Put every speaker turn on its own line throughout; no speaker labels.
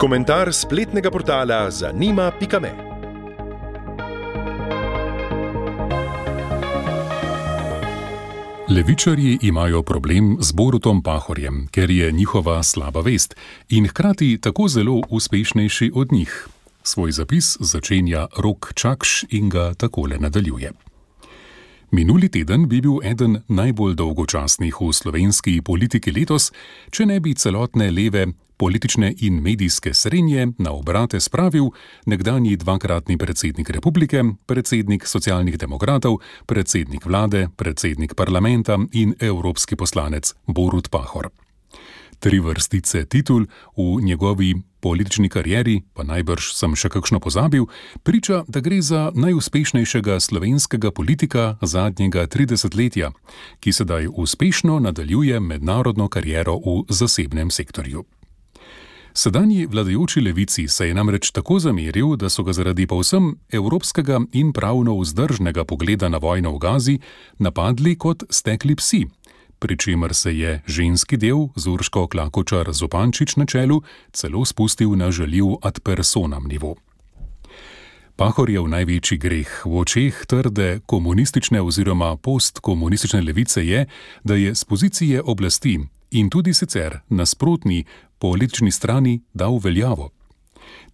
Komentar spletnega portala zanima.me.
Levičarji imajo problem z Borutom Pahorjem, ker je njihova slaba vest in hkrati tako zelo uspešnejši od njih. Svoj zapis začenja Rok Čakš in ga takole nadaljuje. Minuli teden bi bil eden najbolj dolgočasnih v slovenski politiki letos, če ne bi celotne leve politične in medijske srenje na obrate spravil nekdanji dvakratni predsednik republike, predsednik socialnih demokratov, predsednik vlade, predsednik parlamenta in evropski poslanec Borut Pahor. 3 vrstice titul v njegovi politični karieri, pa najbrž sem še kakšno pozabil, priča, da gre za najuspešnejšega slovenskega politika zadnjega 30-letja, ki sedaj uspešno nadaljuje mednarodno kariero v zasebnem sektorju. Sedanji vladajoči levici se je namreč tako zameril, da so ga zaradi povsem evropskega in pravno vzdržnega pogleda na vojno v Gazi napadli kot stekli psi, pri čemer se je ženski del z Urško Klakočar Zupančič na čelu celo spustil na žaljiv ad personam nivo. Pahorjev največji greh v očeh trde komunistične oziroma postkomunistične levice je, da je z pozicije oblasti in tudi sicer nasprotni politični strani dal veljavo.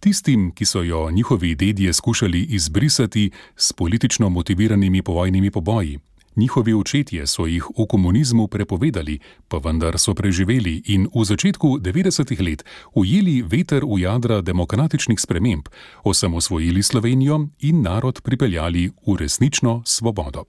Tistim, ki so jo njihovi dedje skušali izbrisati s politično motiviranimi povojnimi poboji, njihovi očetje so jih v komunizmu prepovedali, pa vendar so preživeli in v začetku 90-ih let ujeli veter v jadra demokratičnih sprememb, osamosvojili Slovenijo in narod pripeljali v resnično svobodo.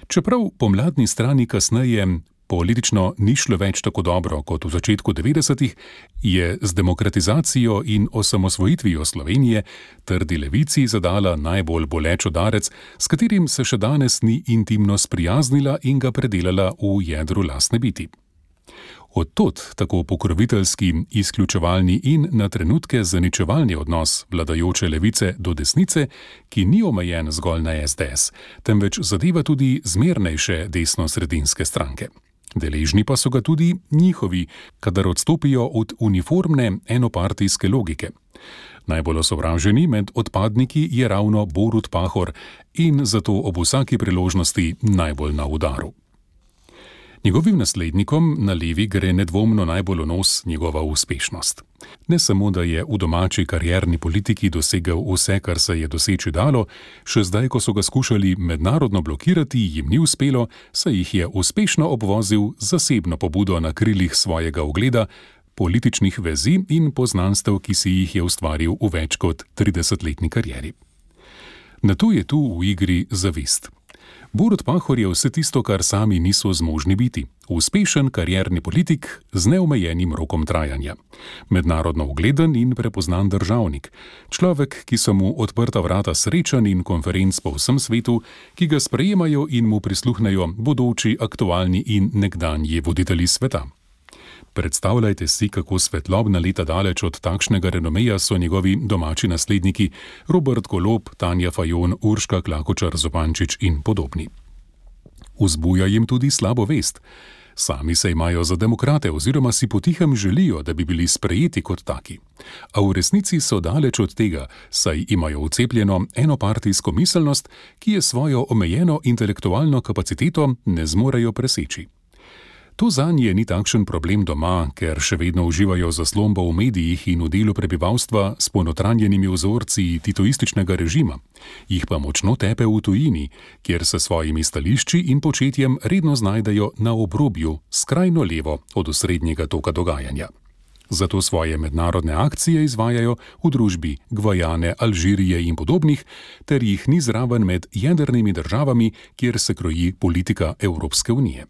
Čeprav pomladni strani kasneje politično ni šlo več tako dobro kot v začetku 90-ih, je z demokratizacijo in osamosvojitvijo Slovenije trdi levici zadala najbolj boleč udarec, s katerim se še danes ni intimno sprijaznila in ga predelala v jedru lastne biti. Od tod tako pokroviteljski, izključevalni in na trenutke zaničevalni odnos vladajoče levice do desnice, ki ni omejen zgolj na SDS, temveč zadeva tudi zmernejše desno-sredinske stranke. Deležni pa so ga tudi njihovi, kadar odstopijo od uniformne enopartijske logike. Najbolj osovraženi med odpadniki je ravno Borut Pahor in zato ob vsaki priložnosti najbolj na udaru. Njegovim naslednikom na levi gre nedvomno najbolj v nos njegova uspešnost. Ne samo, da je v domači karierni politiki dosegel vse, kar se je doseči dalo, še zdaj, ko so ga skušali mednarodno blokirati, jim ni uspelo, saj jih je uspešno obvozil zasebno pobudo na krilih svojega ugleda, političnih vezi in poznanstev, ki si jih je ustvaril v več kot 30-letni karieri. Nato je tu v igri zavist. Borut Pahor je vse tisto, kar sami niso zmožni biti. Uspešen karierni politik z neomejenim rokom trajanja. Mednarodno ugleden in prepoznan državnik. Človek, ki so mu odprta vrata srečanj in konferenc po vsem svetu, ki ga sprejemajo in mu prisluhnejo bodoči, aktualni in nekdanji voditelji sveta. Predstavljajte si, kako svetlobna leta daleč od takšnega renomeja so njegovi domači nasledniki Robert Golob, Tanja Fajon, Urška Klakočar Zupančič in podobni. Vzbuja jim tudi slabo vest. Sami se imajo za demokrate oziroma si potihem želijo, da bi bili sprejeti kot taki. A v resnici so daleč od tega, saj imajo vcepljeno enopartijsko miselnost, ki je svojo omejeno intelektualno kapaciteto ne zmorejo preseči. To zanje ni takšen problem doma, ker še vedno uživajo zaslombo v medijih in v delu prebivalstva s ponotranjenimi vzorci titoističnega režima. Jih pa močno tepe v tujini, kjer se svojimi stališči in početjem redno znajdejo na obrobju, skrajno levo od osrednjega toka dogajanja. Zato svoje mednarodne akcije izvajajo v družbi Gvajane, Alžirije in podobnih, ter jih ni zraven med jedrnimi državami, kjer se kroji politika Evropske unije.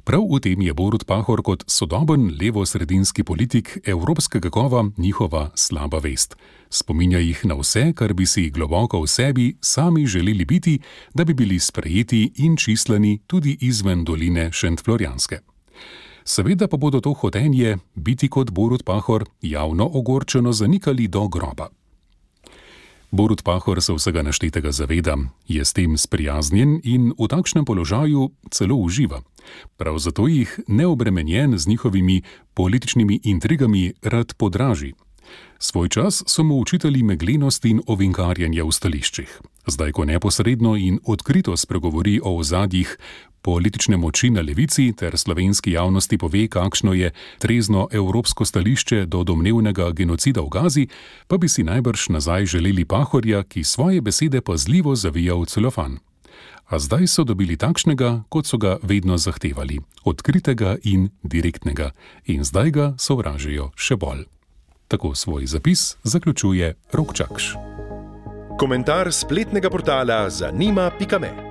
Prav v tem je Borut Pahor kot sodoben levo-sredinski politik evropskega kova njihova slaba vest. Spominja jih na vse, kar bi si globoko v sebi sami želeli biti, da bi bili sprejeti in čislani tudi izven doline Šentflorjanske. Seveda pa bodo to hotenje, biti kot Borut Pahor, javno ogorčeno zanikali do groba. Borut Pahor se vsega naštetega zaveda, je s tem sprijaznjen in v takšnem položaju celo uživa. Prav zato jih neobremenjen z njihovimi političnimi intrigami rad podraži. Svoj čas so mu učitali meglenost in ovinkarjenje v stališčih. Zdaj, ko neposredno in odkrito spregovori o ozadjih politične moči na levici ter slovenski javnosti pove, kakšno je trezno evropsko stališče do domnevnega genocida v Gazi, pa bi si najbrž nazaj želeli Pahorja, ki svoje besede pazljivo zavija v celofan. A zdaj so dobili takšnega, kot so ga vedno zahtevali, odkritega in direktnega, in zdaj ga sovražijo še bolj. Tako svoj zapis zaključuje Rok Čakš.
Komentar spletnega portala zanima.me.